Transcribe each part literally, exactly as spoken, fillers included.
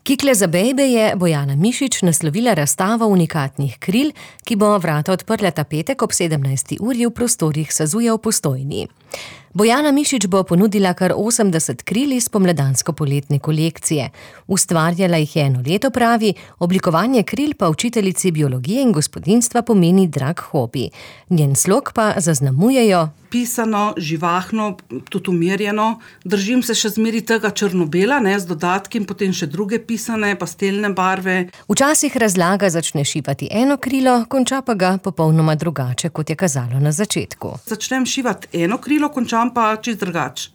Kikle za bejbe je Bojana Mišič naslovila razstavo unikatnih kril, ki bo vrata odprla ta petek ob sedemnajsti uri v prostorih Sazuja v Postojni. Bojana Mišič bo ponudila kar osemdeset kril iz pomladansko-poletne kolekcije. Ustvarjala jih je eno leto, pravi, oblikovanje kril pa učiteljici biologije in gospodinjstva pomeni drag hobi. Njen slog pa zaznamujejo pisano, živahno, tudi umirjeno. Držim se še zmeri tega črno-bela, ne, z dodatki in potem še druge pisane, pastelne barve. Včasih razlaga začne šivati eno krilo, konča pa ga popolnoma drugače, kot je kazalo na začetku. Začnem šivati eno krilo, končam pa čist drugače.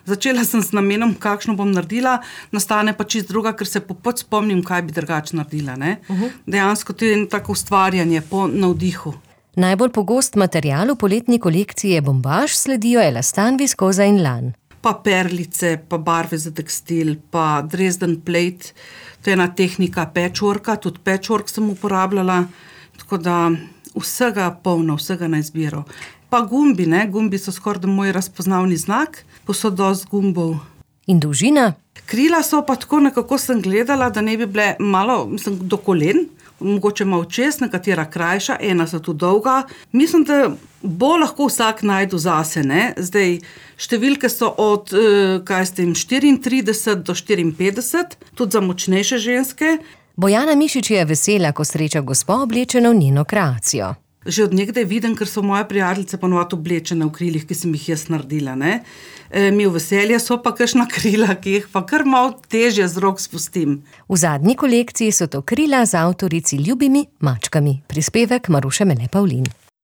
Začela sem z namenom, kakšno bom naredila, nastane pa čist druga, ker se popot spomnim, kaj bi drugače naredila. Ne. Uh-huh. Dejansko tudi tako ustvarjanje po navdihu. Najbolj pogost material v poletni kolekciji je bombaž, sledijo elastan, viskoza in lan. Pa perlice, pa barve za tekstil, pa Dresden plate, to je ena tehnika patchworka, tudi patchwork sem uporabljala, tako da vsega polno, vsega na izbiro. Pa gumbi, ne, gumbi so skoraj moj razpoznavni znak, ko so dosti gumbov. In dolžina? Krila so pa tako nekako sem gledala, da ne bi bile malo, mislim, do kolen, mogoče malo čez, nekatera krajša, ena so tu dolga. Mislim, da bo lahko vsak najdu zase, ne. Zdaj, številke so od, kaj s tem, štiriintrideset do štiriinpetdeset, tudi za močnejše ženske. Bojana Mišič je vesela, ko sreča gospo oblečeno v njeno kreacijo. Že od nekdaj vidim, ker so moje prijateljice ponovadi oblečene v krilih, ki sem jih jaz naredila, ne. E, mi v veselje so pa kakšna krila, ki jih pa kar malo težje z rok spustim. V zadnji kolekciji so to krila z avtorici Ljubimi mačkami. Prispevek Maruše Mele Pavlin.